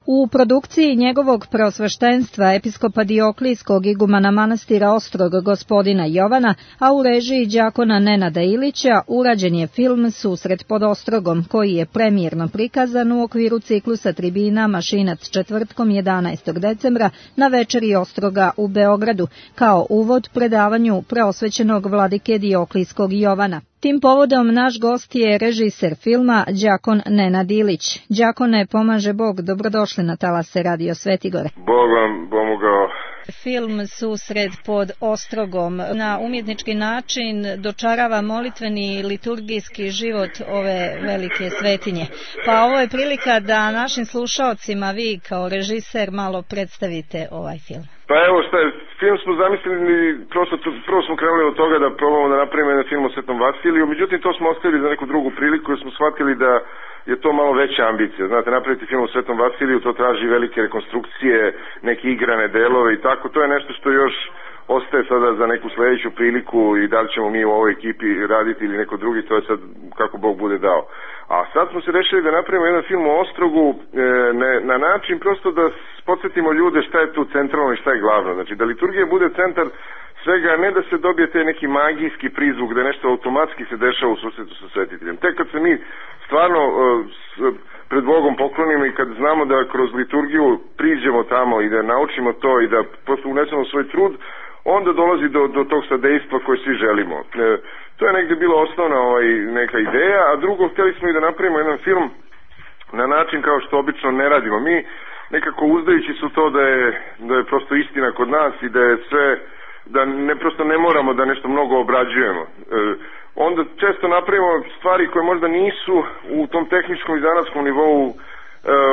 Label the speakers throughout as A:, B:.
A: U produkciji njegovog preosveštenstva episkopa Dioklijskog igumana manastira Ostrog gospodina Jovana, a u režiji đakona Nenada Ilića, urađen je film Susret pod Ostrogom, koji je premijerno prikazan u okviru ciklusa tribina Mašinac četvrtkom 11. decembra na večeri Ostroga u Beogradu, kao uvod predavanju preosvećenog vladike Dioklijskog Jovana. Tim povodom naš gost je režiser filma đakon Nenad Ilić. Đakone, pomaže Bog, dobrodošli na talase Radio Svetigore.
B: Bog vam pomogao.
A: Film Susret pod Ostrogom na umjetnički način dočarava molitveni liturgijski život ove velike svetinje. Pa ovo je prilika da našim slušaocima vi kao režiser malo predstavite ovaj film.
B: Pa evo šta je, film smo zamislili, prvo smo krenuli od toga da probamo da napravimo jedan film o Svetom Vasiliju, međutim to smo ostavili za neku drugu priliku jer smo shvatili da je to malo veća ambicija. Znate, napraviti film o Svetom Vasiliju, to traži velike rekonstrukcije, neke igrane delove i tako, to je nešto što još ostaje sada za neku sledeću priliku i da li ćemo mi u ovoj ekipi raditi ili neko drugi, to je sad kako Bog bude dao. A sad smo se rešili da napravimo jedan film o Ostrogu na način prosto da podsjetimo ljude šta je tu centralno i šta je glavno. Znači da liturgija bude centar svega, ne da se dobije te neki magijski prizvuk, da nešto automatski se dešava u susretu sa svetiteljem. Tek kad se mi stvarno pred Bogom poklonimo i kad znamo da kroz liturgiju priđemo tamo i da naučimo to i da prosto unesemo svoj trud, onda dolazi do tog sadejstva koje svi želimo. To je negde bila osnovna neka ideja, a drugo, htjeli smo i da napravimo jedan film na način kao što obično ne radimo. Mi nekako uzdajući su to da je prosto istina kod nas i da je sve, da prosto ne moramo da nešto mnogo obrađujemo. Onda često napravimo stvari koje možda nisu u tom tehničkom i zanatskom nivou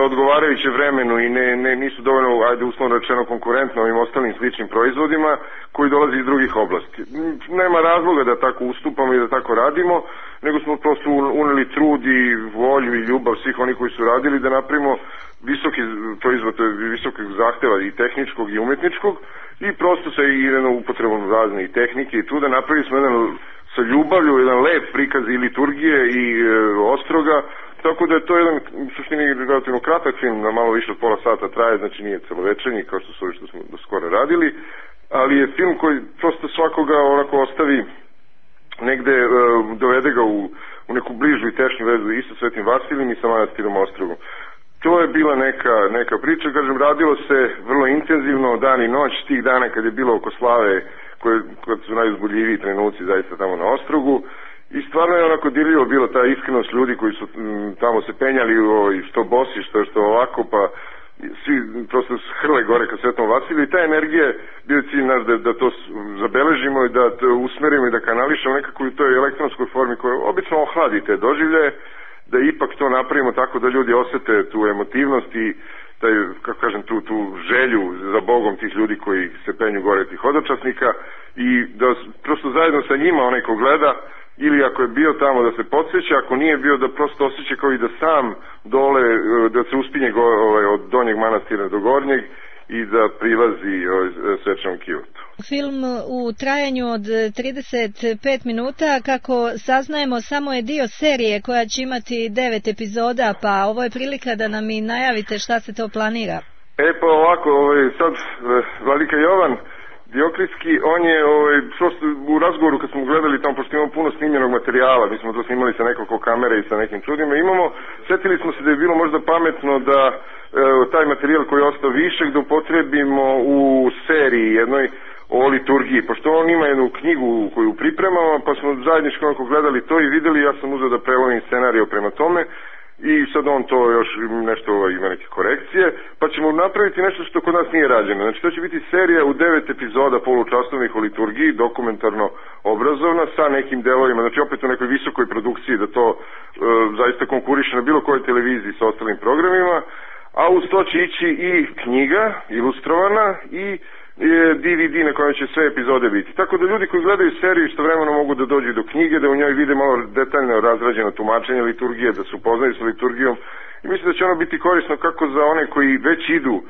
B: odgovarajuće vremenu i nisu dovoljno, ajde uslovno rečeno, konkurentno ovim ostalim sličnim proizvodima koji dolaze iz drugih oblasti. Nema razloga da tako ustupamo i da tako radimo, nego smo prosto uneli trud i volju i ljubav svih onih koji su radili da napravimo visoki proizvod, visokog zahteva i tehničkog i umetničkog i prosto sa jednom upotrebom razne i tehnike i tu da napravili smo jedan sa ljubavlju, jedan lep prikaz i liturgije i Ostroga. Tako da je to jedan, u suštini, relativno kratak film, na malo više od pola sata traje, znači nije celovečernji, kao što su ovi što smo do skoro radili, ali je film koji prosto svakoga onako ostavi negde, dovede ga u neku bližu i tešnju vezu i sa Svetim Vasilijem i sa manastirom Ostrogom. To je bila neka priča, kažem, radilo se vrlo intenzivno, dan i noć, tih dana kad je bilo oko slave, kad su najuzbudljiviji trenuci zaista tamo na Ostrogu. I stvarno je onako dirljivo bilo ta iskrenost ljudi koji su tamo se penjali što bosi, što ovako, pa svi prosto hrle gore ka Svetom Vasiliju i ta energija bio cilj naš da to zabeležimo i da to usmerimo i da kanališemo nekako u toj elektronskoj formi koja obično ohladi te doživljaje, da ipak to napravimo tako da ljudi osete tu emotivnost i taj, kako kažem, tu želju za Bogom tih ljudi koji se penju gore tih hodočasnika i da prosto zajedno sa njima onaj ko gleda ili ako je bio tamo da se podsjeća, ako nije bio da prosto osjeća kao i da sam dole, da se uspinje od donjeg manastira do gornjeg i da prilazi svečanom kivotu.
A: Film u trajanju od 35 minuta, kako saznajemo, samo je dio serije koja će imati 9 epizoda, pa ovo je prilika da nam i najavite šta se to planira.
B: Pa ovako, sad vladika Jovan Dioklijski, on je u razgovoru kad smo gledali tamo, pošto imamo puno snimljenog materijala, mi smo to snimali sa nekoliko kamera i sa nekim čudima, setili smo se da je bilo možda pametno da taj materijal koji je ostao višeg da upotrebimo u seriji jednoj o liturgiji, pošto on ima jednu knjigu koju pripremamo, pa smo zajednički onako gledali to i videli, ja sam uzeo da prevodim scenario prema tome i sad on to još nešto ima neke korekcije, pa ćemo napraviti nešto što kod nas nije rađeno. Znači to će biti serija u 9 epizoda polučasovnih o liturgiji, dokumentarno obrazovna, sa nekim delovima, znači opet u nekoj visokoj produkciji da to zaista konkuriše na bilo kojoj televiziji sa ostalim programima, a uz to će ići i knjiga ilustrovana i DVD na kojem će sve epizode biti. Tako da ljudi koji gledaju seriju istovremeno mogu da dođu do knjige, da u njoj vide malo detaljno razrađeno tumačenje liturgije, da se upoznaju sa liturgijom i mislim da će ono biti korisno kako za one koji već idu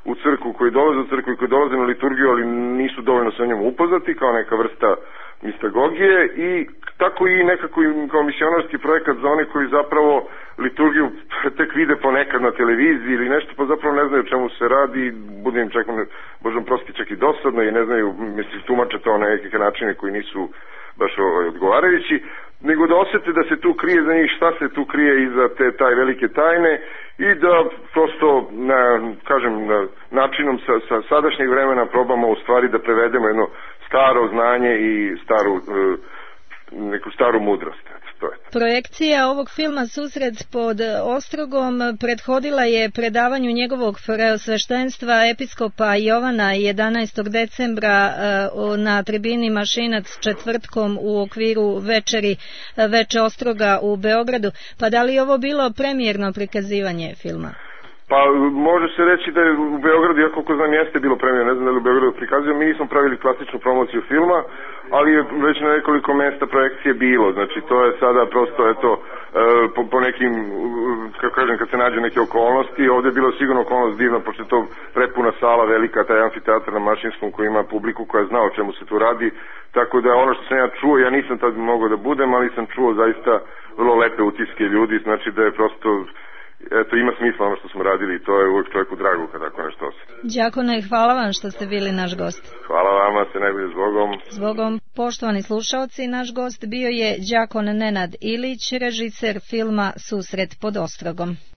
B: u crkvu, koji dolaze u crkvu i koji dolaze na liturgiju, ali nisu dovoljno sa njom upoznati, kao neka vrsta mistagogije i tako i nekako kao misionarski projekat za one koji zapravo liturgiju tek vide ponekad na televiziji ili nešto, pa zapravo ne znaju o čemu se radi, bude im čak, možda prosti čak i dosadno i ne znaju, mislim, tumače to na neke načine koji nisu baš odgovarajući, nego da osete da se tu krije za njih, šta se tu krije iza taj velike tajne i da prosto, načinom sa sadašnjeg vremena probamo u stvari da prevedemo jedno staro znanje i neku staru mudrost.
A: Projekcija ovog filma Susret pod Ostrogom prethodila je predavanju njegovog preosveštenstva episkopa Jovana 11. decembra na tribini Mašinac četvrtkom u okviru Veče Ostroga u Beogradu. Pa da li je ovo bilo premijerno prikazivanje filma?
B: Pa može se reći da je u Beogradu, ja koliko znam, jeste bilo premijerno, ne znam da li u Beogradu prikazio, mi nismo pravili klasičnu promociju filma, ali je već na nekoliko mesta projekcije bilo, znači to je sada prosto, po nekim, kako kažem, kad se nađe neke okolnosti, ovdje je bilo sigurno okolnost divna, pošto je to prepuna sala velika, taj amfiteatar na Mašinskom koji ima publiku koja zna o čemu se tu radi, tako da ono što sam ja čuo, ja nisam tad mogao da budem, ali sam čuo zaista vrlo lepe utiske ljudi, znači da je prosto, ima smisla ono što smo radili i to je uvijek čovjeku drago kad tako nešto osjeti.
A: Đakone, hvala vam što ste bili naš gost.
B: Hvala vama, se najbolje zbogom.
A: Zbogom, poštovani slušaoci, naš gost bio je đakon Nenad Ilić, režiser filma Susret pod Ostrogom.